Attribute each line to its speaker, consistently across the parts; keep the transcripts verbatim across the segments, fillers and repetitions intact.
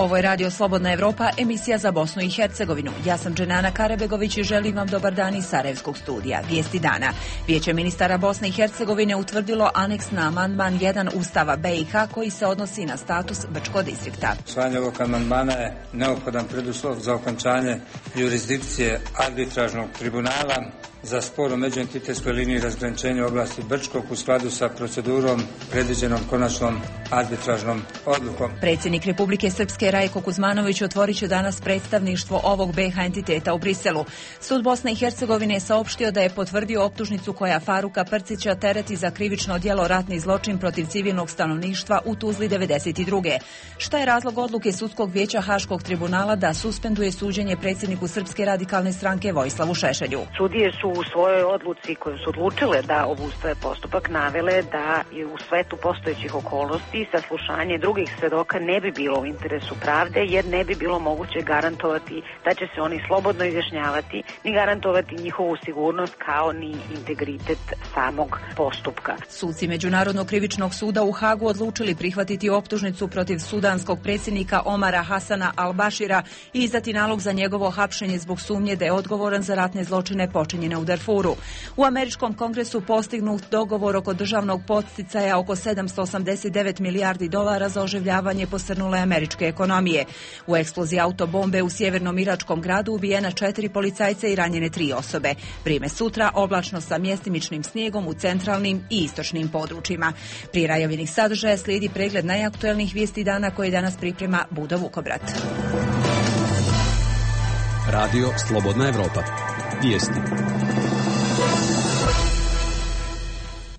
Speaker 1: Ovo je Radio Slobodna Evropa, emisija za Bosnu i Hercegovinu. Ja sam Dženana Karebegović i želim vam dobar dan iz Sarajevskog studija. Vijesti dana. Vijeće ministara Bosne i Hercegovine utvrdilo aneks na amandman jedan Ustava B i H koji se odnosi na status Brčkog distrikta.
Speaker 2: Usvajanje ovog amandmana je neophodan preduslov za okončanje jurisdikcije arbitražnog tribunala za spor o međuentitetskoj liniji razgraničenja oblasti Brčkog u skladu sa procedurom predviđenom konačnom arbitražnom odlukom.
Speaker 1: Predsjednik Republike Srpske Rajko Kuzmanović otvorit će danas predstavništvo ovog B H entiteta u Briselu. Sud Bosne i Hercegovine je saopštio da je potvrdio optužnicu koja Faruka Prcića tereti za krivično djelo ratni zločin protiv civilnog stanovništva u Tuzli devedeset druge. Šta je razlog odluke Sudskog vijeća Haškog tribunala da suspenduje suđenje predsjedniku Srpske radikalne stranke Vojislavu Šešelju?
Speaker 3: Sudije su u svojoj odluci koju su odlučile da obustave postupak navele da je u svetu postojećih okolnosti saslušanje drugih svedoka ne bi bilo u interesu pravde, jer ne bi bilo moguće garantovati da će se oni slobodno izjašnjavati, ni garantovati njihovu sigurnost kao ni integritet samog postupka.
Speaker 1: Suci Međunarodnog krivičnog suda u Hagu odlučili prihvatiti optužnicu protiv sudanskog predsjednika Omara Hasana al-Bashira i izdati nalog za njegovo hapšenje zbog sumnje da je odgovoran za ratne zločine počinjene u Darfuru. U američkom kongresu postignut dogovor oko državnog podsticaja oko sedamsto osamdeset devet milijardi dolara za oživljavanje posrnule američke ekonomije. U eksploziji autobombe u sjevernom iračkom gradu ubijena četiri policajca i ranjene tri osobe. Vrijeme sutra oblačno sa mjestimičnim snijegom u centralnim i istočnim područjima. Prije najavljenih sadržaja slijedi pregled najaktuelnijih vijesti dana koje danas priprema Budo Vukobrat.
Speaker 4: Radio Slobodna Evropa. Vijesti.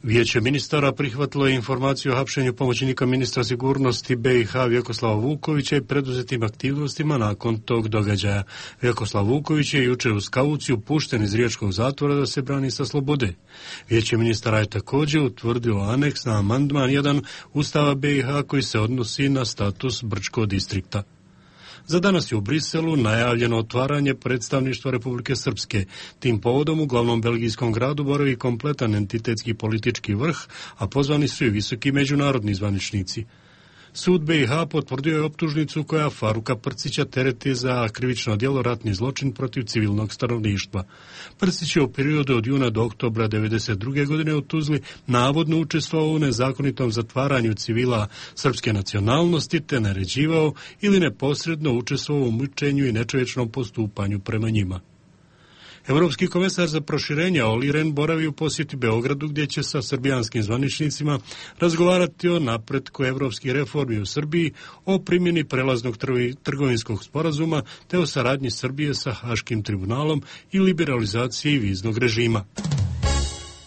Speaker 5: Vijeće ministara prihvatilo je informaciju o hapšenju pomoćnika ministra sigurnosti B i H Vjekoslava Vukovića i preduzetim aktivnostima nakon tog događaja. Vjekoslav Vuković je jučer uz kauciju pušten iz riječkog zatvora da se brani sa slobode. Vijeće ministara je također utvrdilo aneks na amandman jedan Ustava B i H koji se odnosi na status Brčkog distrikta. Za danas je u Briselu najavljeno otvaranje predstavništva Republike Srpske. Tim povodom u glavnom belgijskom gradu boravi kompletan entitetski politički vrh, a pozvani su i visoki međunarodni zvaničnici. Sud B i H potvrdio je optužnicu koja Faruka Prcića tereti za krivično djelo ratni zločin protiv civilnog stanovništva. Prcić je u periodu od juna do oktobra devedeset druge godine u Tuzli navodno učestvovao u nezakonitom zatvaranju civila srpske nacionalnosti te naređivao ili neposredno učestvovao u mučenju i nečovječnom postupanju prema njima. Europski komesar za proširenje Olli Rehn boravi u posjeti Beogradu gdje će sa srbijanskim zvaničnicima razgovarati o napretku evropskih reformi u Srbiji, o primjeni prelaznog trgovinskog sporazuma te o saradnji Srbije sa Haškim tribunalom i liberalizaciji viznog režima.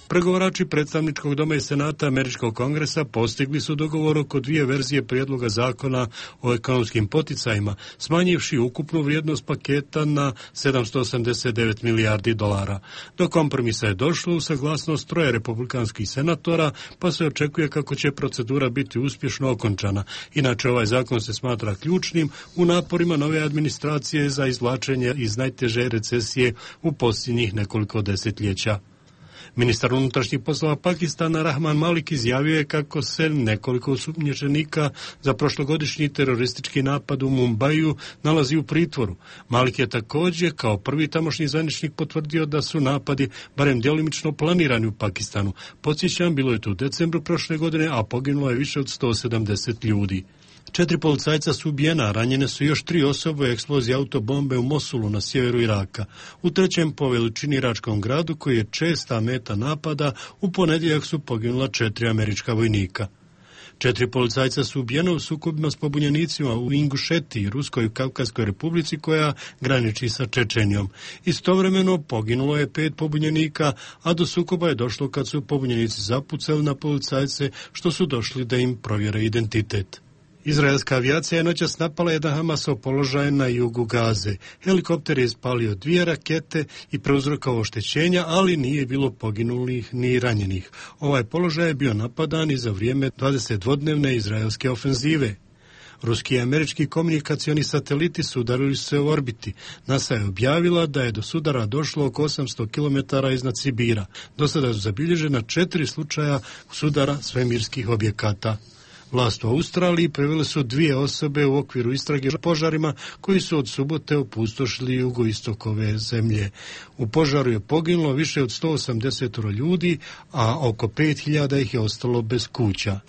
Speaker 5: Pregovarači predstavničkog doma i senata američkog kongresa postigli su dogovor oko dvije verzije prijedloga zakona o ekonomskim poticajima, smanjivši ukupnu vrijednost paketa na sedamsto osamdeset devet milijardi dolara. Do kompromisa je došlo u saglasnost troje republikanskih senatora, pa se očekuje kako će procedura biti uspješno okončana. Inače, ovaj zakon se smatra ključnim u naporima nove administracije za izvlačenje iz najteže recesije u posljednjih nekoliko desetljeća. Ministar unutrašnjih poslova Pakistana Rahman Malik izjavio je kako se nekoliko osumnjičenika za prošlogodišnji teroristički napad u Mumbaju nalazi u pritvoru. Malik je također kao prvi tamošnji zvaničnik potvrdio da su napadi barem djelimično planirani u Pakistanu. Podsjećam, bilo je to u decembru prošle godine, a poginulo je više od sto sedamdeset ljudi. Četiri policajca su ubijena, ranjene su još tri osobe u eksploziji autobombe u Mosulu na sjeveru Iraka. U trećem po veličini iračkom gradu, koji je česta meta napada, u ponedjeljak su poginula četiri američka vojnika. Četiri policajca su ubijena u sukobima s pobunjenicima u Ingušetiji, Ruskoj Kavkazskoj republici koja graniči sa Čečenijom. Istovremeno poginulo je pet pobunjenika, a do sukoba je došlo kad su pobunjenici zapucali na policajce, što su došli da im provjere identitet. Izraelska avijacija je noćas napala jedan Hamasov položaj na jugu Gaze. Helikopter je ispalio dvije rakete i prouzrokovao oštećenja, ali nije bilo poginulih ni ranjenih. Ovaj položaj je bio napadan i za vrijeme dvadesetdvodnevne izraelske ofenzive. Ruski i američki komunikacioni sateliti sudarili se u orbiti. NASA je objavila da je do sudara došlo oko osamsto kilometara iznad Sibira. Do sada su zabilježena četiri slučaja sudara svemirskih objekata. Vlast u Australiji privele su dvije osobe u okviru istrage o požarima koji su od subote opustošili jugoistok ove zemlje. U požaru je poginulo više od sto osamdeset ljudi, a oko pet hiljada ih je ostalo bez kuća.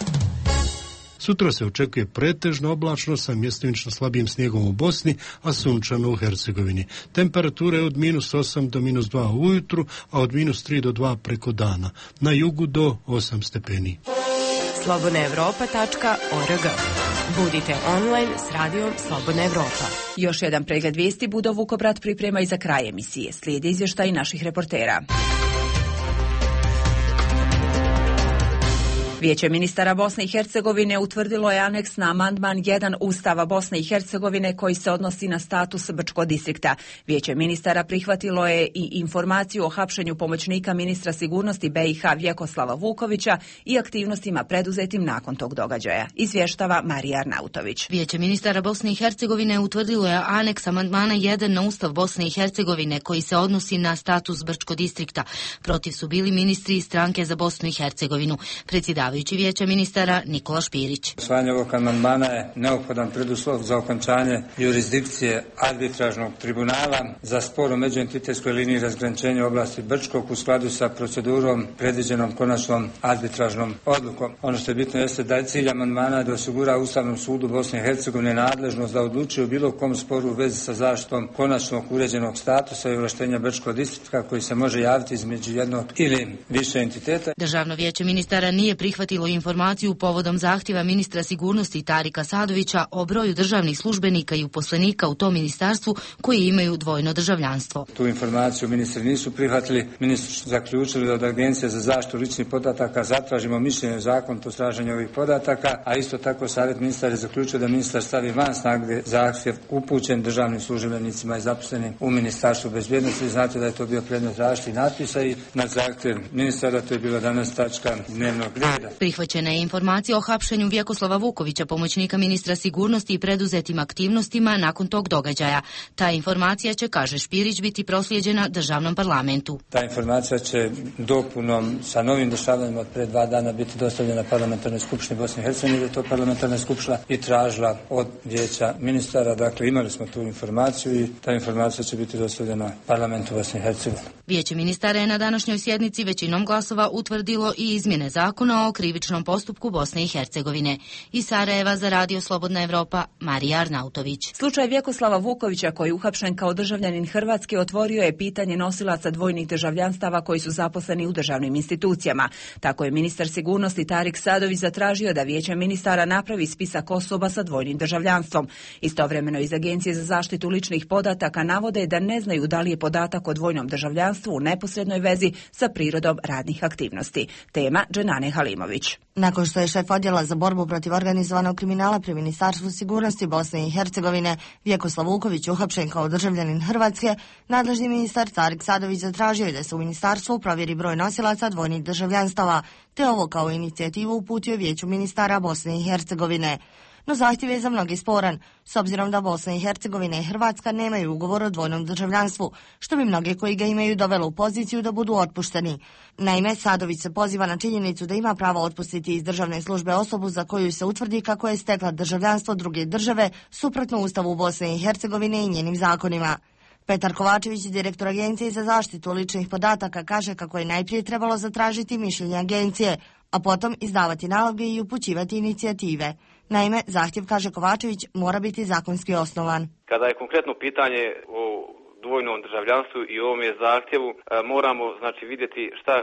Speaker 5: Sutra se očekuje pretežno oblačno sa mjestimično slabijim snijegom u Bosni, a sunčano u Hercegovini. Temperature od minus osam do minus dva ujutru, a od minus tri do dva preko dana. Na jugu do osam stepeni.
Speaker 6: slobodna evropa tačka org. Budite online s radijom Slobodna Evropa.
Speaker 1: Još jedan pregled vijesti Budo Vukobrat priprema i za kraj emisije. Slijedi izvještaj naših reportera. Vijeće ministara Bosne i Hercegovine utvrdilo je aneks na amandman jedan Ustava Bosne i Hercegovine koji se odnosi na status Brčkog distrikta. Vijeće ministara prihvatilo je i informaciju o hapšenju pomoćnika ministra sigurnosti B i H Vjekoslava Vukovića i aktivnostima preduzetim nakon tog događaja. Izvještava Marija Arnautović.
Speaker 7: Vijeće ministara Bosne i Hercegovine utvrdilo je aneks amandmana jedan na Ustav Bosne i Hercegovine koji se odnosi na status Brčkog distrikta. Protiv su bili ministri iz stranke za Bosnu i Hercegovinu. Predsjedavajući Vijeća ministara Nikola Špirić.
Speaker 2: Usvajanje ovog amandmana je neophodan preduslov za okončanje jurisdikcije arbitražnog tribunala za spor o međuentitetskoj liniji razgraničenja oblasti Brčkog u skladu sa procedurom predviđenom konačnom arbitražnom odlukom. Ono što je bitno jeste da je cilj amandmana da osigura Ustavnom sudu Bosne i Hercegovine nadležnost da odlučuje u bilo kom sporu u vezi sa zaštitom konačnog uređenog statusa i ovlaštenja Brčkog distrikta koji se može javiti između jednog ili više entiteta.
Speaker 7: Državno vijeće ministara nije prihvatilo informaciju povodom zahtjeva ministra sigurnosti Tarika Sadovića o broju državnih službenika i uposlenika u tom ministarstvu koji imaju dvojno državljanstvo.
Speaker 2: Tu informaciju ministri nisu prihvatili. Ministri su zaključili da od Agencije za zaštitu ličnih podataka zatražimo mišljenje o zakonitosti traženja ovih podataka, a isto tako savjet ministara je zaključio da ministar stavi van snage zahtjev upućen državnim službenicima i zaposlenim u Ministarstvu bezbjednosti. Znate da je to bio predmet različitih natpisa i na zahtjev ministara to je bila danas tačka dnevnog reda.
Speaker 7: Prihvaćena je informacija o hapšenju Vjekoslava Vukovića, pomoćnika ministra sigurnosti i preduzetim aktivnostima nakon tog događaja. Ta informacija će, kaže Špirić, biti proslijeđena državnom parlamentu.
Speaker 2: Ta informacija će dopunom sa novim dešavanjima od pre dva dana biti dostavljena parlamentarnoj skupštini Bosne i Hercegovine, da je to parlamentarna skupština i tražila od vijeća ministara. Dakle, imali smo tu informaciju i ta informacija će biti dostavljena parlamentu Bosne i Hercegovine.
Speaker 7: Vijeće ministara je na današnjoj sjednici većinom glasova utvrdilo i izmjene zakona o krivičnom postupku Bosne i Hercegovine. Iz Sarajeva za Radio Slobodna Evropa, Marija Arnautović.
Speaker 1: Slučaj Vjekoslava Vukovića koji je uhapšen kao državljanin Hrvatske otvorio je pitanje nosilaca dvojnih državljanstava koji su zaposleni u državnim institucijama. Tako je ministar sigurnosti Tarik Sadović zatražio da Vijeće ministara napravi spisak osoba sa dvojnim državljanstvom. Istovremeno iz Agencije za zaštitu ličnih podataka navode da ne znaju da li je podatak o dvojnom državljanstvu u neposrednoj vezi sa prirodom radnih aktivnosti. Tema Dženane Halimović.
Speaker 8: Nakon što je šef odjela za borbu protiv organizovanog kriminala pri Ministarstvu sigurnosti Bosne i Hercegovine Vjekoslav Vuković uhapšen kao državljanin Hrvatske, nadležni ministar Tarik Sadović zatražio je da se u ministarstvu provjeri broj nosilaca dvojnih državljanstava, te ovo kao inicijativu uputio Vijeću ministara Bosne i Hercegovine. No zahtjev je za mnogi sporan, s obzirom da Bosna i Hercegovina i Hrvatska nemaju ugovor o dvojnom državljanstvu, što bi mnoge koji ga imaju dovelo u poziciju da budu otpušteni. Naime, Sadović se poziva na činjenicu da ima pravo otpustiti iz državne službe osobu za koju se utvrdi kako je stekla državljanstvo druge države suprotno Ustavu Bosne i Hercegovine i njenim zakonima. Petar Kovačević, direktor Agencije za zaštitu ličnih podataka, kaže kako je najprije trebalo zatražiti mišljenje agencije, a potom izdavati naloge i upućivati inicijative. Naime, zahtjev, kaže Kovačević, mora biti zakonski osnovan.
Speaker 9: Kada je konkretno pitanje o dvojnom državljanstvu i ovome zahtjevu, moramo znači vidjeti šta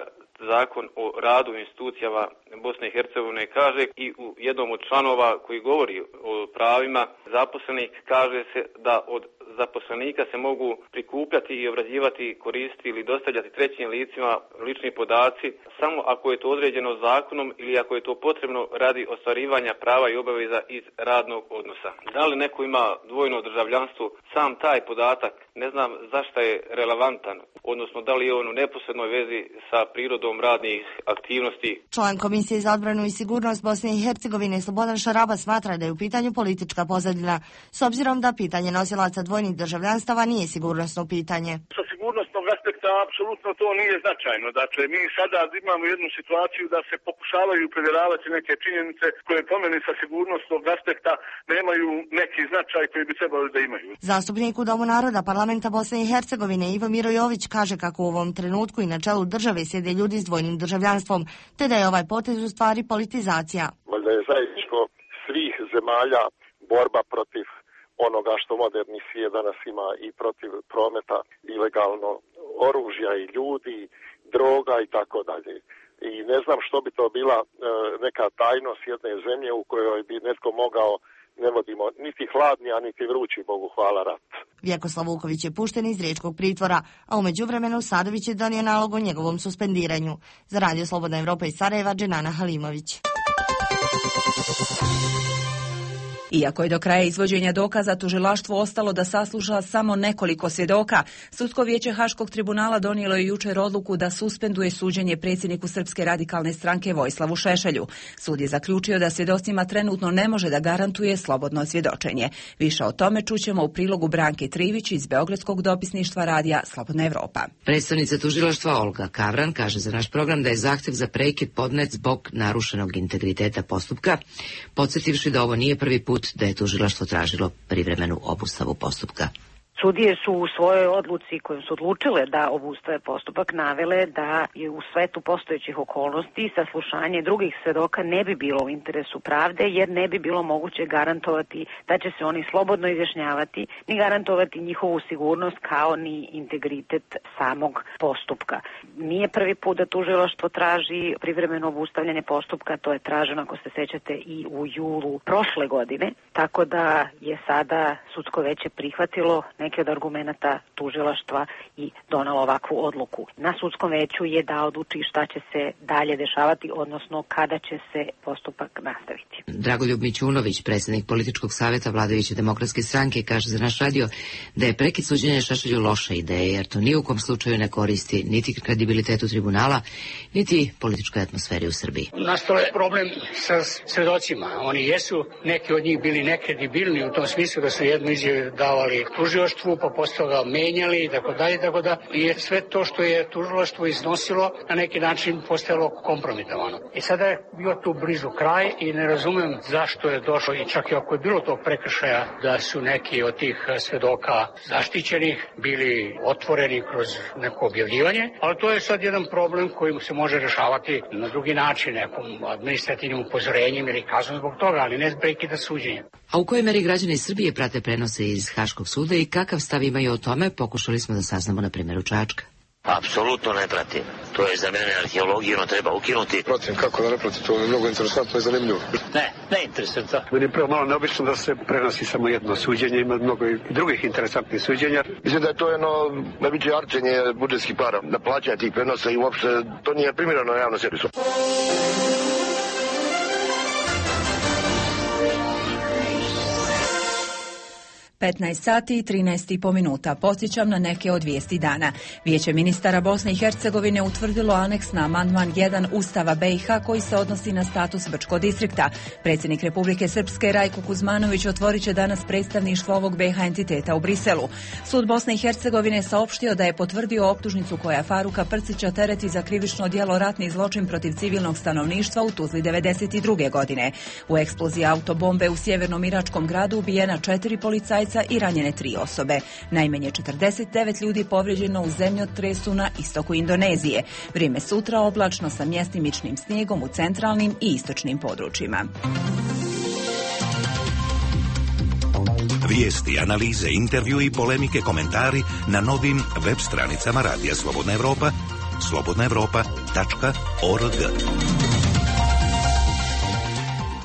Speaker 9: Zakon o radu institucijama Bosne i Hercegovine kaže i u jednom od članova koji govori o pravima zaposlenih kaže se da od zaposlenika se mogu prikupljati i obrađivati, koristiti ili dostavljati trećim licima lični podaci samo ako je to određeno zakonom ili ako je to potrebno radi ostvarivanja prava i obaveza iz radnog odnosa. Da li neko ima dvojno državljanstvo, sam taj podatak ne znam zašto je relevantan, odnosno da li je on u neposrednoj vezi sa prirodom radnih aktivnosti.
Speaker 8: Član Komisije za odbranu i sigurnost Bosne i Hercegovine Slobodan Šaraba smatra da je u pitanju politička pozadina, s obzirom da pitanje nosilaca dvojnih državljanstava nije sigurnosno pitanje.
Speaker 10: Sa sigurnosnog aspekta apsolutno to nije značajno. Dakle, mi sada imamo jednu situaciju da se pokušavaju provjeravati neke činjenice koje po meni sa sigurnosnog aspekta nemaju neki značaj koji bi trebali da imaju.
Speaker 8: Zastupnik u Domu naroda Parlamenta Bosne i Hercegovine Ivo Mirojović kaže kako u ovom trenutku i na čelu države sjede ljudi s dvojnim državljanstvom, te da je ovaj potez u stvari politizacija.
Speaker 11: Valjda je zajedničko svih zemalja borba protiv onoga što moderni svijet danas ima i protiv prometa ilegalno oružja i ljudi, droga i tako dalje. I ne znam što bi to bila e, neka tajnost jedne zemlje u kojoj bi netko mogao, ne vodimo niti hladni, a niti vrući, Bogu hvala, rat.
Speaker 8: Vjekoslav Vuković je pušten iz riječkog pritvora, a u međuvremenu Sadović je donio nalog o njegovom suspendiranju. Za Radio Slobodna Evropa iz Sarajeva, Dženana Halimović.
Speaker 1: Iako je do kraja izvođenja dokaza tužilaštvo ostalo da sasluša samo nekoliko svjedoka, Sudsko vijeće Haškog tribunala donijelo je jučer odluku da suspenduje suđenje predsjedniku Srpske radikalne stranke Vojislavu Šešelju. Sud je zaključio da svjedocima trenutno ne može da garantuje slobodno svjedočenje. Više o tome čućemo u prilogu Branke Trivić iz Beogradskog dopisništva radija Slobodna Evropa.
Speaker 12: Predstavnica tužilaštva Olga Kavran kaže za naš program da je zahtjev za prekid podnet zbog narušenog integriteta postupka, podsjetivši da ovo nije prvi put da je tužilaštvo tražilo privremenu obustavu postupka.
Speaker 3: Sudije su u svojoj odluci kojom su odlučile da obustave postupak navele da je u svetu postojećih okolnosti saslušanje drugih svedoka ne bi bilo u interesu pravde jer ne bi bilo moguće garantovati da će se oni slobodno izjašnjavati ni garantovati njihovu sigurnost kao ni integritet samog postupka. Nije prvi put da tužilaštvo traži privremeno obustavljanje postupka, to je traženo ako se sećate i u julu prošle godine, tako da je sada sudsko veće prihvatilo neke od argumenata tužilaštva i donalo ovakvu odluku. Na sudskom veću je da odluči šta će se dalje dešavati, odnosno kada će se postupak nastaviti.
Speaker 12: Dragoljub Mićunović, predsjednik političkog savjeta vladajuće demokratske stranke, kaže za naš radio da je prekid suđenja Šešelju loša ideja, jer to ni u kom slučaju ne koristi niti kredibilitetu tribunala, niti političkoj atmosferi u Srbiji.
Speaker 13: Nastao je problem sa svedocima. Oni jesu, neki od njih bili nekredibilni u tom smislu da su jednu izjavu davali tužilaštvu, pa posle toga menjali i tako dalje, tako da je sve to što je tužilaštvo iznosilo na neki način postajalo kompromitovano. I sada je bio tu blizu kraj i ne razumem zašto je došlo, i čak i ako je bilo tog prekršaja, da su neki od tih svedoka zaštićenih bili otvoreni kroz neko objavljivanje, ali to je sad jedan problem koji se može rešavati na drugi način, nekom administrativnim upozorenjem ili kaznom zbog toga, ali ne prekida suđenja.
Speaker 12: A u kojoj meri građani Srbije prate prenose iz Haškog suda i kakav stav imaju o tome, pokušali smo da saznamo na primjeru Čačka.
Speaker 14: Apsolutno ne pratim. To je za mene arheologiju, no treba ukinuti.
Speaker 15: Pratim, kako da ne pratim, to je mnogo interesantno i zanimljivo.
Speaker 14: Ne, ne interesantno.
Speaker 16: Meni je prvo malo neobično da se prenosi samo jedno suđenje, ima mnogo i drugih interesantnih suđenja.
Speaker 15: Mislim da je to jedno najveće arčenje budžetskih para, da plaćanje tih prenosa i uopšte to nije primjereno javno servisu.
Speaker 1: petnaest sati i trinaest i po minuta. Podsjećam na neke od vijesti dana. Vijeće ministara Bosne i Hercegovine utvrdilo aneks na amandman jedan Ustava B i H koji se odnosi na status Brčkog distrikta. Predsjednik Republike Srpske Rajko Kuzmanović otvorit će danas predstavništvo ovog B i H entiteta u Briselu. Sud Bosne i Hercegovine saopštio da je potvrdio optužnicu koja Faruka Prcića tereti za krivično djelo ratni zločin protiv civilnog stanovništva u Tuzli devedeset druge godine. U eksploziji autobombe u sjevernom iračkom gradu ubijena četiri policajca i ranjene tri osobe. Najmanje četrdeset devet ljudi povrijeđeno u zemljotresu na istoku Indonezije. Vrijeme sutra oblačno sa mjestimičnim snijegom u centralnim i istočnim područjima.
Speaker 17: Vijesti, analize, intervju i polemike, komentari na novim web stranicama Radija Slobodna Evropa, slobodna evropa tačka org.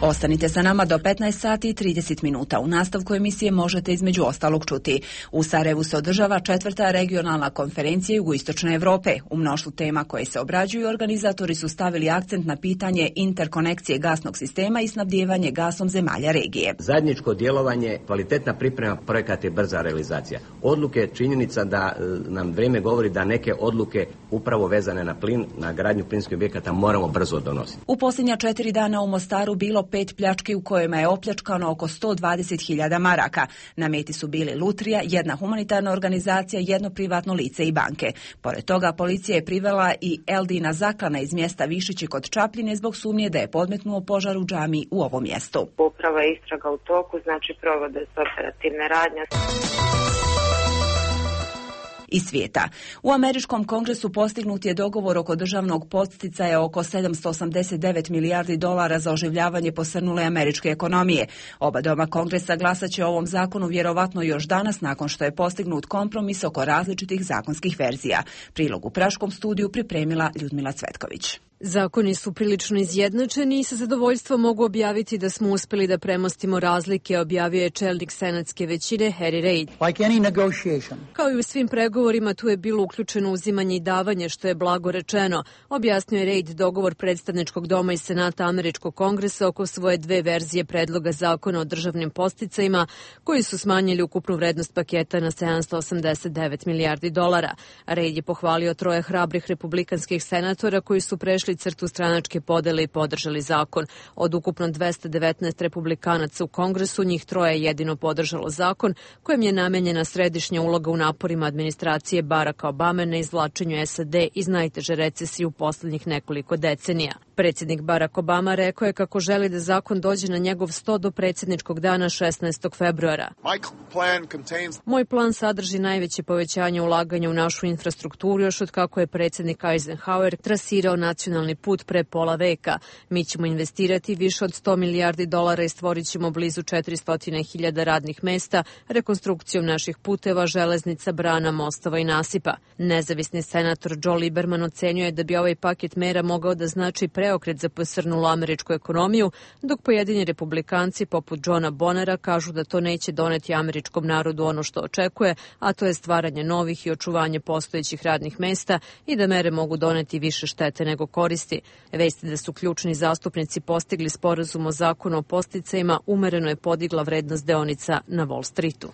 Speaker 1: Ostanite sa nama do petnaest sati i trideset minuta. U nastavku emisije možete između ostalog čuti. U Sarajevu se održava četvrta regionalna konferencija Jugoistočne Evrope. U mnoštvu tema koje se obrađuju, organizatori su stavili akcent na pitanje interkonekcije gasnog sistema i snabdijevanje gasom zemalja regije.
Speaker 18: Zajedničko djelovanje, kvalitetna priprema projekata i brza realizacija. Odluke, činjenica da nam vrijeme govori da neke odluke upravo vezane na plin, na gradnju plinskih objekata moramo brzo donositi.
Speaker 1: U posljednja četiri dana u Mostaru bilo pet pljački u kojima je opljačkano oko sto dvadeset hiljada maraka. Na meti su bili lutrija, jedna humanitarna organizacija, jedno privatno lice i banke. Pored toga, policija je privela i Eldina Zaklana iz mjesta Višići kod Čapljine zbog sumnje da je podmetnuo požar u džamiji u ovom mjestu.
Speaker 19: Uprava je istraga u toku, znači provode se operativne radnje.
Speaker 1: Iz svijeta. U Američkom kongresu postignut je dogovor oko državnog podsticaja oko sedamsto osamdeset devet milijardi dolara za oživljavanje posrnule američke ekonomije. Oba doma kongresa glasat će o ovom zakonu vjerovatno još danas nakon što je postignut kompromis oko različitih zakonskih verzija. Prilog u Praškom studiju pripremila Ljudmila Cvetković.
Speaker 20: Zakoni su prilično izjednačeni i sa zadovoljstvom mogu objaviti da smo uspjeli da premostimo razlike, objavio je čelnik senatske većine Harry Reid.
Speaker 21: Like any negotiation.
Speaker 20: Kao i u svim pregovorima, tu je bilo uključeno uzimanje i davanje, što je blago rečeno. Objasnio je Reid dogovor predstavničkog doma i senata Američkog kongresa oko svoje dve verzije predloga zakona o državnim podsticajima, koji su smanjili ukupnu vrednost paketa na sedamsto osamdeset devet milijardi dolara. Reid je pohvalio troje hrabrih republikanskih senatora koji su prešli crtu stranačke podele i podržali zakon. Od ukupno dvesta devetnaest republikanaca u kongresu, njih troje je jedino podržalo zakon kojem je namenjena središnja uloga u naporima administracije Baracka Obame na izvlačenju S A D iz najteže recesije u posljednjih nekoliko decenija. Predsjednik Barack Obama rekao je kako želi da zakon dođe na njegov sto do predsjedničkog dana šesnaestog februara. Moj plan sadrži najveće povećanje ulaganja u našu infrastrukturu još od kako je predsjednik Eisenhower trasirao nacionalni put pre pola veka. Mi ćemo investirati više od sto milijardi dolara i stvorit ćemo blizu četiristo hiljada radnih mesta rekonstrukcijom naših puteva, železnica, brana, mostova i nasipa. Nezavisni senator Joe Lieberman ocenio je da bi ovaj paket mera mogao da znači preokret za posrnulu američku ekonomiju, dok pojedini republikanci poput Johna Bonera kažu da to neće doneti američkom narodu ono što očekuje, a to je stvaranje novih i očuvanje postojećih radnih mesta i da mere mogu doneti više štete nego koristi. Vesti da su ključni zastupnici postigli sporazum o zakonu o podsticajima umereno je podigla vrednost deonica na Wall Streetu.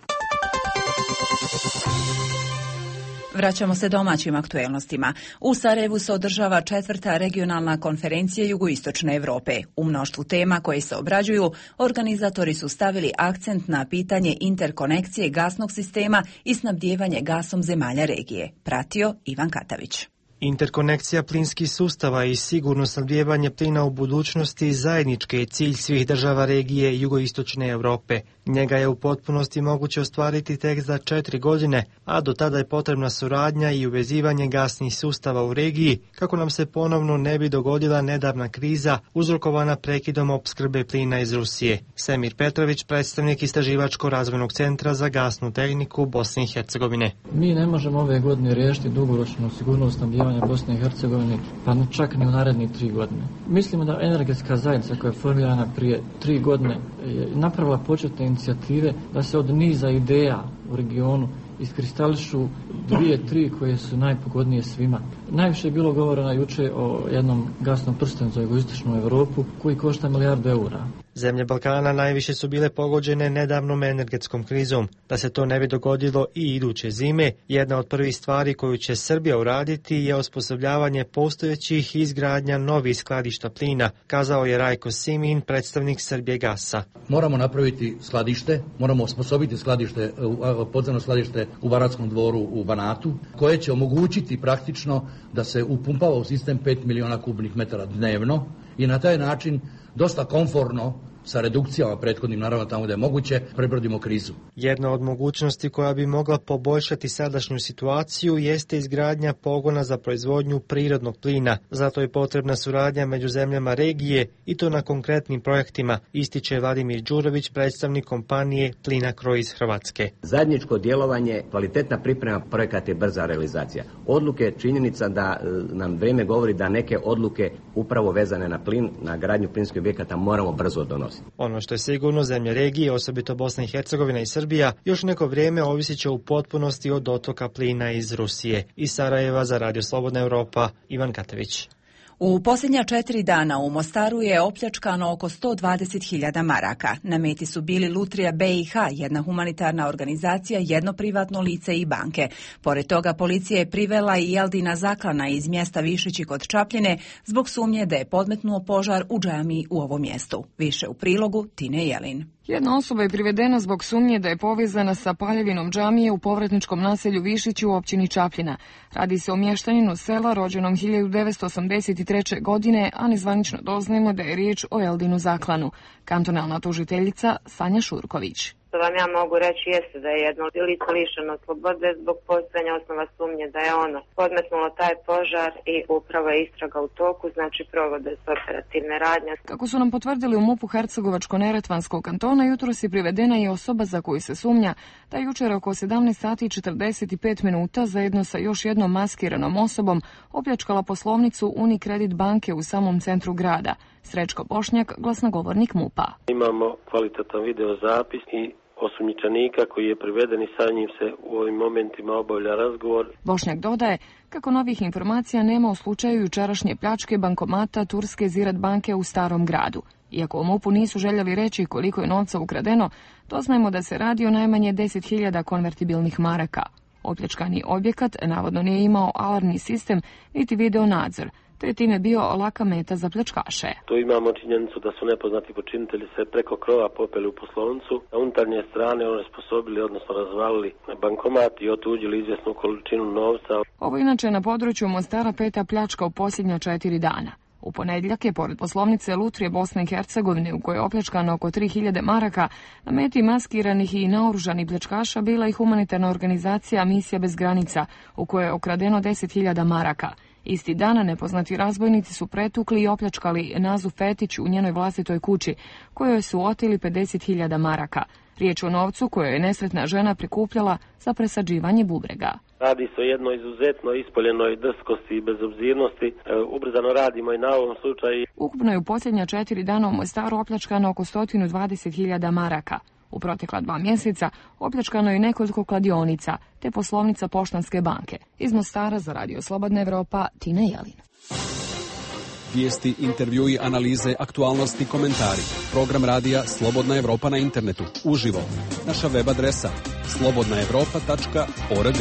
Speaker 1: Vraćamo se domaćim aktuelnostima. U Sarajevu se održava četvrta regionalna konferencija Jugoistočne Europe. U mnoštvu tema koje se obrađuju, organizatori su stavili akcent na pitanje interkonekcije gasnog sistema i snabdijevanje gasom zemalja regije. Pratio Ivan Katavić.
Speaker 22: Interkonekcija plinskih sustava i sigurno snabdijevanje plina u budućnosti zajednički je cilj svih država regije Jugoistočne Europe. Njega je u potpunosti moguće ostvariti tek za četiri godine, a do tada je potrebna suradnja i uvezivanje gasnih sustava u regiji, kako nam se ponovno ne bi dogodila nedavna kriza uzrokovana prekidom opskrbe plina iz Rusije. Semir Petrović, predstavnik Istraživačko-razvojnog centra za gasnu tehniku Bosne i Hercegovine.
Speaker 23: Mi ne možemo ove godine riješiti dugoročnu sigurnost snabdijevanja Bosne i Hercegovine, pa čak ni u narednih tri godine. Mislimo da energetska zajednica koja je formirana prije tri godine je napravila početne inicijative da se od niza ideja u regionu iskristališu dvije, tri koje su najpogodnije svima. Najviše je bilo govoreno juče o jednom gasnom prstenu za jugoistočnu Europu koji košta milijardu eura.
Speaker 22: Zemlje Balkana najviše su bile pogođene nedavnom energetskom krizom. Da se to ne bi dogodilo i iduće zime, jedna od prvih stvari koju će Srbija uraditi je osposobljavanje postojećih i izgradnja novih skladišta plina, kazao je Rajko Simin, predstavnik Srbijegasa.
Speaker 24: Moramo napraviti skladište, moramo osposobiti skladište, podzemno skladište u Banatskom dvoru u Banatu, koje će omogućiti praktično da se upumpava u sistem pet miliona kubnih metara dnevno i na taj način dosta komforno, sa redukcijama prethodnim, naravno tamo da je moguće, prebrodimo krizu.
Speaker 22: Jedna od mogućnosti koja bi mogla poboljšati sadašnju situaciju jeste izgradnja pogona za proizvodnju prirodnog plina. Zato je potrebna suradnja među zemljama regije i to na konkretnim projektima, ističe Vladimir Đurović, predstavnik kompanije Plinacro iz Hrvatske.
Speaker 18: Zajedničko djelovanje, kvalitetna priprema projekata i brza realizacija. Odluke, činjenica da nam vrijeme govori da neke odluke upravo vezane na plin, na gradnju plinskih objekata moramo brzo donositi.
Speaker 22: Ono što je sigurno, zemlje regije, osobito Bosna i Hercegovina i Srbija, još neko vrijeme ovisit će u potpunosti od dotoka plina iz Rusije. Iz Sarajeva za Radio Slobodna Europa, Ivan Katavić.
Speaker 1: U posljednja četiri dana u Mostaru je opljačkano oko sto dvadeset hiljada maraka. Na meti su bili Lutrija B i H, jedna humanitarna organizacija, jedno privatno lice i banke. Pored toga policija je privela i Eldina Zaklana iz mjesta Višići kod Čapljine zbog sumnje da je podmetnuo požar u džamiji u ovom mjestu. Više u prilogu Tine Jelin.
Speaker 4: Jedna osoba je privedena zbog sumnje da je povezana sa paljevinom džamije u povratničkom naselju Višići u općini Čapljina. Radi se o mještaninu sela rođenom hiljadu devetsto osamdeset treće. godine, a nezvanično doznajemo da je riječ o Eldinu Zaklanu. Kantonalna tužiteljica Sanja Šurković.
Speaker 19: Što vam ja mogu reći jeste da je jedno lice lišeno slobode zbog postojanja osnova sumnje da je ono podmetnulo taj požar i upravo je istraga u toku, znači provode se operativne radnje.
Speaker 4: Kako su nam potvrdili u MUP-u Hercegovačko-Neretvanskog kantona, jutros je privedena i osoba za koju se sumnja da je jučer oko sedamnaest sati i četrdeset pet minuta zajedno sa još jednom maskiranom osobom opljačkala poslovnicu Unicredit banke u samom centru grada. Srećko Bošnjak, glasnogovornik MUP-a.
Speaker 5: Imamo kvalitetan video zapis i osumnjičenika koji je priveden i sa njim se u ovim momentima obavlja razgovor.
Speaker 4: Bošnjak dodaje kako novih informacija nema u slučaju jučerašnje pljačke bankomata Turske Ziraat banke u Starom gradu. Iako u MUP-u nisu željeli reći koliko je novca ukradeno, doznajemo da se radi o najmanje deset hiljada konvertibilnih maraka. Opljačkani objekat navodno nije imao alarmni sistem niti video nadzor, te je time bio laka meta za pljačkaše.
Speaker 5: Tu imamo činjenicu da su nepoznati počinitelji se preko krova popeli u poslovnicu, na unutarnje strane onesposobili, odnosno razvalili bankomat i otuđili izvjesnu količinu novca.
Speaker 4: Ovo inače na području Mostara peta pljačka u posljednja četiri dana. U ponedjeljak je pored poslovnice Lutrije Bosne i Hercegovine u kojoj je opljačkano oko tri hiljade maraka, na meti maskiranih i naoružanih pljačkaša bila i humanitarna organizacija Misija bez granica u kojoj je okradeno deset hiljada maraka. Isti dana nepoznati razbojnici su pretukli i opljačkali Nazu Fetić u njenoj vlastitoj kući, kojoj su oteli pedeset hiljada maraka. Riječ o novcu koju je nesretna žena prikupljala za presađivanje bubrega.
Speaker 5: Radi se o jednoj izuzetno ispoljenoj drskosti i bezobzirnosti. E, ubrzano radimo i na ovom slučaju.
Speaker 4: Ukupno je u posljednja četiri dana u Mostaru opljačkano oko sto dvadeset hiljada maraka. U protekla dva mjeseca opljačkano je nekoliko kladionica te poslovnica Poštanske banke. Iz Mostara za Radio Slobodna Evropa, Tina Jelin.
Speaker 6: Vijesti, intervjui, analize, aktualnosti, komentari. Program radija Slobodna Evropa na internetu. Uživo. Naša web adresa slobodna evropa tačka org.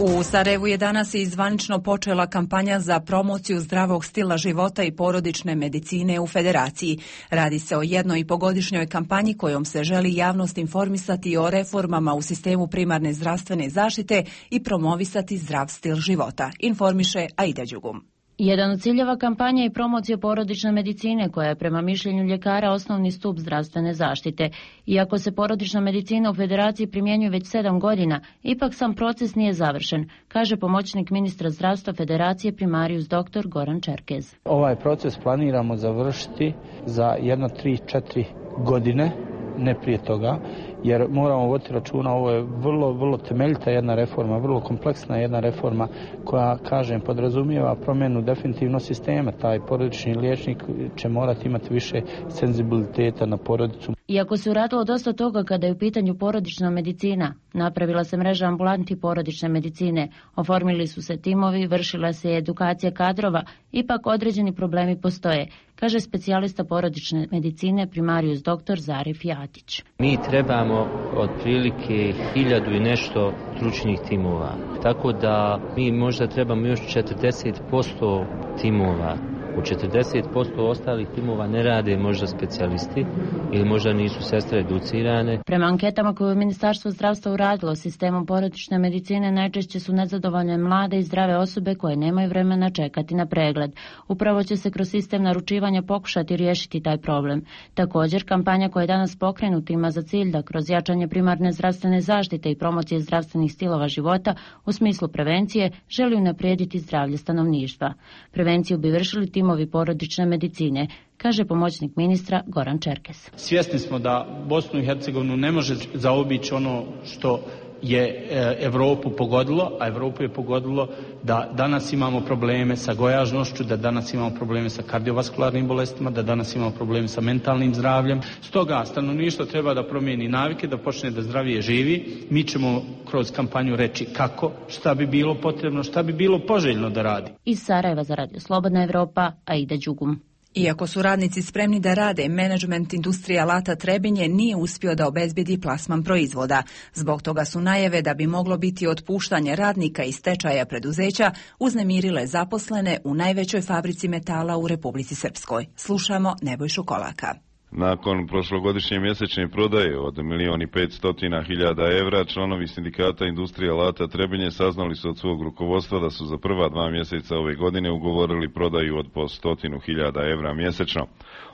Speaker 1: U Sarajevu je danas i zvanično počela kampanja za promociju zdravog stila života i porodične medicine u Federaciji. Radi se o jednoj i pogodišnjoj kampanji kojom se želi javnost informisati o reformama u sistemu primarne zdravstvene zaštite i promovisati zdrav stil života. Informiše Aida Đugum.
Speaker 21: Jedan od ciljeva kampanje je promocija porodične medicine koja je prema mišljenju ljekara osnovni stup zdravstvene zaštite. Iako se porodična medicina u Federaciji primjenjuje već sedam godina, ipak sam proces nije završen, kaže pomoćnik ministra zdravstva Federacije primarijus doktor Goran Čerkez.
Speaker 25: Ovaj proces planiramo završiti za jedno tri četiri godine, ne prije toga, jer moramo voditi računa, ovo je vrlo, vrlo temeljita jedna reforma, vrlo kompleksna jedna reforma koja, kažem, podrazumijeva promjenu definitivno sistema. Taj porodični liječnik će morati imati više senzibiliteta na porodicu.
Speaker 21: Iako se uradilo dosta toga kada je u pitanju porodična medicina, napravila se mreža ambulanti porodične medicine, oformili su se timovi, vršila se edukacija kadrova, ipak određeni problemi postoje, kaže specijalista porodične medicine primarijus doktor Zarif Jatić.
Speaker 26: Mi trebamo otprilike hiljadu i nešto stručnih timova, tako da mi možda trebamo još četrdeset posto timova. U četrdeset posto ostalih timova ne rade možda specijalisti ili možda nisu sestre educirane.
Speaker 21: Prema anketama koje je Ministarstvo zdravstva uradilo sistemom porodične medicine, najčešće su nezadovoljne mlade i zdrave osobe koje nemaju vremena čekati na pregled. Upravo će se kroz sistem naručivanja pokušati riješiti taj problem. Također, kampanja koja je danas pokrenuta ima za cilj da kroz jačanje primarne zdravstvene zaštite i promocije zdravstvenih stilova života u smislu prevencije želi unaprijediti zdravlje stanovništva. Prevenciju bi vršili timovi porodične medicine, kaže pomoćnik ministra Goran Čerkes.
Speaker 27: Svjesni smo da Bosnu i Hercegovinu ne može zaobići ono što
Speaker 25: je Europu pogodilo, a Europu je pogodilo da danas imamo probleme sa gojažnošću, da danas imamo probleme sa kardiovaskularnim bolestima, da danas imamo probleme sa mentalnim zdravljem. Stoga stanovništvo treba da promijeni navike, da počne da zdravije živi. Mi ćemo kroz kampanju reći kako, šta bi bilo potrebno, šta bi bilo poželjno da radi.
Speaker 21: Iz Sarajeva za Radio Slobodna Evropa, Aida Đugum.
Speaker 1: Iako su radnici spremni da rade, menadžment industrije alata Trebinje nije uspio da obezbedi plasman proizvoda. Zbog toga su najave da bi moglo biti otpuštanje radnika iz stečaja preduzeća uznemirile zaposlene u najvećoj fabrici metala u Republici Srpskoj. Slušamo Nebojšu Kolaka.
Speaker 2: Nakon prošlogodišnje mjesečne prodaje od milijon i petstotina hiljada evra, članovi sindikata industrije alata Trebinje saznali su od svog rukovodstva da su za prva dva mjeseca ove godine ugovorili prodaju od po stotinu hiljada evra mjesečno.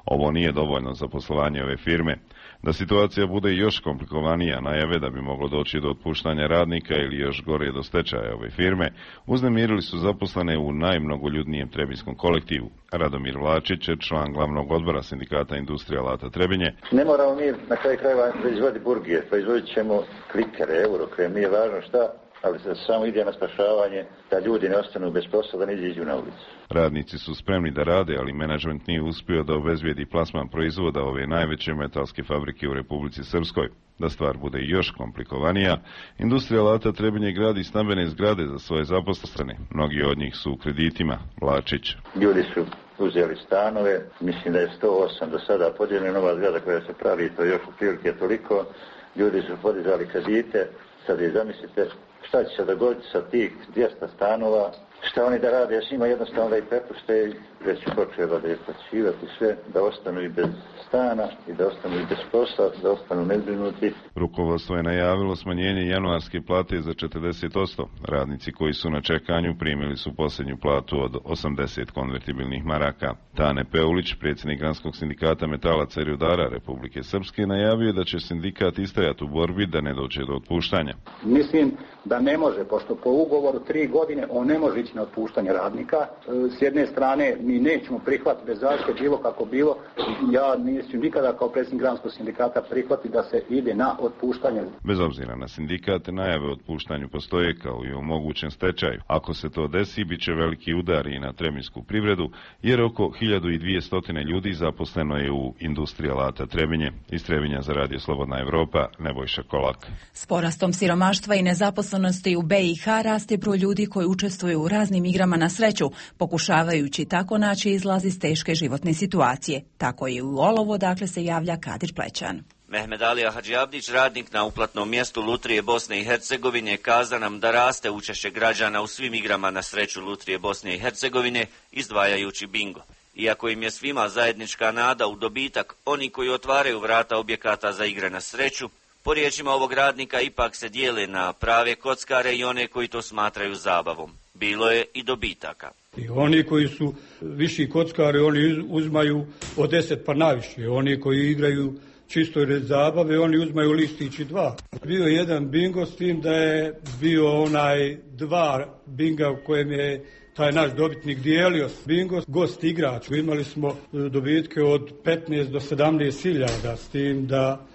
Speaker 2: Ovo nije dovoljno za poslovanje ove firme. Da situacija bude još komplikovanija, najave da bi moglo doći do otpuštanja radnika ili još gore do stečaja ove firme, uznemirili su zaposlene u najmnogoljudnijem trebinskom kolektivu. Radomir Vlačić, član glavnog odbora sindikata industrije alata Trebinje.
Speaker 7: Ne moramo mi na kraju krajeva proizvoditi burgije, proizvodit ćemo klikere, eurokrem, nije važno šta, ali se samo ide na spašavanje da ljudi ne ostanu bez posla, da ne izađu na ulicu.
Speaker 2: Radnici su spremni da rade, ali menadžment nije uspio da obezbijedi plasman proizvoda ove najveće metalske fabrike u Republici Srpskoj. Da stvar bude još komplikovanija, industrija alata Trebinje gradi stambene zgrade za svoje zaposlene. Mnogi od njih su u kreditima. Vlačić.
Speaker 7: Ljudi su uzeli stanove, mislim da je sto osam do sada podijeljena nova zgrada koja se pravi, to još u prilike toliko. Ljudi su podizali kredite, sad je zamislite šta će se dogoditi sa tih dvjesto stanova, šta oni da rade, s njima jednostavno da ih prepušte, već počela da je plaćivati sve, da ostanu i bez stana i da ostanu i bez posla, da ostanu nezbrinuti.
Speaker 2: Rukovodstvo je najavilo smanjenje januarske plate za četrdeset posto. Radnici koji su na čekanju primili su posljednju platu od osamdeset konvertibilnih maraka. Tane Peulić, predsjednik Granskog sindikata metalaca i rudara Republike Srpske, najavio da će sindikat istajati u borbi da ne dođe do otpuštanja.
Speaker 8: Mislim da ne može, pošto po ugovoru tri godine on ne može ići na otpuštanje radnika. S jedne strane mi nećemo prihvatiti bez zaštite bilo kako bilo. Ja nisam nikada kao predsjednik Granskog sindikata prihvatiti da se ide na otpuštanje.
Speaker 2: Bez obzira na sindikat, najave o otpuštanju postoje kao i o mogućem stečaju. Ako se to desi, bit će veliki udar i na trebinsku privredu, jer oko hiljadu dvjesto ljudi zaposleno je u industriji alata Trebinje. Iz Trebinja za Radio Slobodna Evropa, Nebojša Kolak.
Speaker 1: S porastom siromaštva i nezaposlenosti u B i H raste broj ljudi koji učestvuju u raznim igrama na sreću, pokušavajući tako naći izlaz iz teške životne situacije. Tako i u Olovo, dakle, se javlja Kadir Plećan.
Speaker 9: Mehmed Alija Hadžiabdić, radnik na uplatnom mjestu Lutrije Bosne i Hercegovine, kaza nam da raste učešće građana u svim igrama na sreću Lutrije Bosne i Hercegovine, izdvajajući bingo. Iako im je svima zajednička nada u dobitak, oni koji otvaraju vrata objekata za igre na sreću, po riječima ovog radnika, ipak se dijele na prave kockare i one koji to smatraju zabavom. Bilo je i dobitaka.
Speaker 10: I oni koji su viši kockari, oni uzmaju od deset pa naviše. Oni koji igraju čisto iz zabave, oni uzmaju listići dva. Bio je jedan bingo s tim da je bio onaj dva binga u kojem je taj naš dobitnik dijelio bingo gost igrač. Imali smo dobitke od petnaest do sedamnaest hiljada, s tim da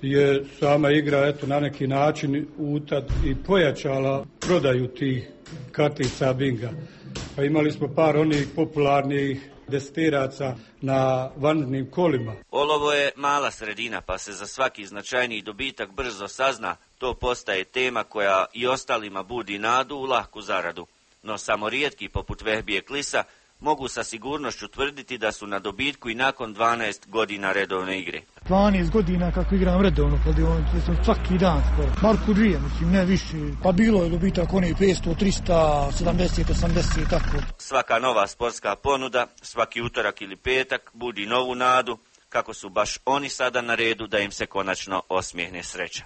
Speaker 10: je sama igra eto na neki način utad i pojačala prodaju tih kartica binga. Pa imali smo par onih popularnih destiraca na vanrednim kolima.
Speaker 9: Olovo je mala sredina, pa se za svaki značajniji dobitak brzo sazna. To postaje tema koja i ostalima budi nadu u lahku zaradu. No samo rijetki, poput Vehbije Klisa, mogu sa sigurnošću tvrditi da su na dobitku i nakon dvanaest godina redovne igre.
Speaker 11: dvanaest godina kako igram redovno, svaki dan skoro. Marku dvije, mislim, ne više. Pa bilo je dobitak onih petsto, tristo, sedamdeset, osamdeset, tako.
Speaker 9: Svaka nova sportska ponuda, svaki utorak ili petak budi novu nadu, kako su baš oni sada na redu da im se konačno osmijehne sreća.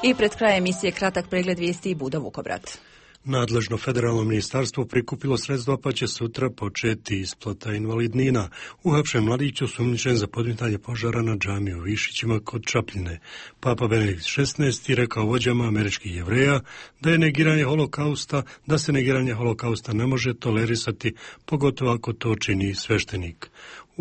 Speaker 1: I pred krajem emisije kratak pregled vijesti i Budo Vukobrat.
Speaker 27: Nadležno federalno ministarstvo prikupilo sredstva pa će sutra početi isplata invalidnina. Uhapšen mladić osumnjičen za podmetanje požara na džamiji u Višićima kod Čapljine. Papa Benedikt šesnaesti rekao vođama američkih Jevreja da je negiranje holokausta, da se negiranje holokausta ne može tolerisati, pogotovo ako to čini sveštenik.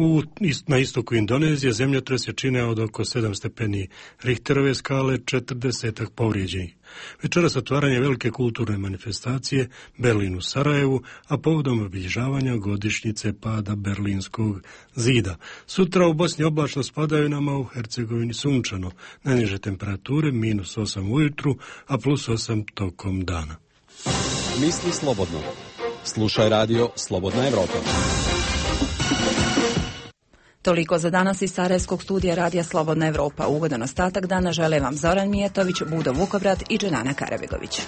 Speaker 27: U, na istoku Indonezije zemljotres je čineo od oko sedam stepeni Richterove skale, četrdesetak povrijeđenih. Večeras otvaranje velike kulturne manifestacije Berlin u Sarajevu, a povodom obilježavanja godišnjice pada Berlinskog zida. Sutra u Bosni oblačno s padavinama, u Hercegovini sunčano. Najniže temperature minus osam ujutru, a plus osam tokom dana.
Speaker 6: Misli slobodno. Slušaj radio Slobodna Evropa.
Speaker 1: Toliko za danas iz Sarajevskog studija radija Slobodna Evropa. Ugodan ostatak dana žele vam Zoran Mijetović, Budo Vukobrad i Dženana Karabegović.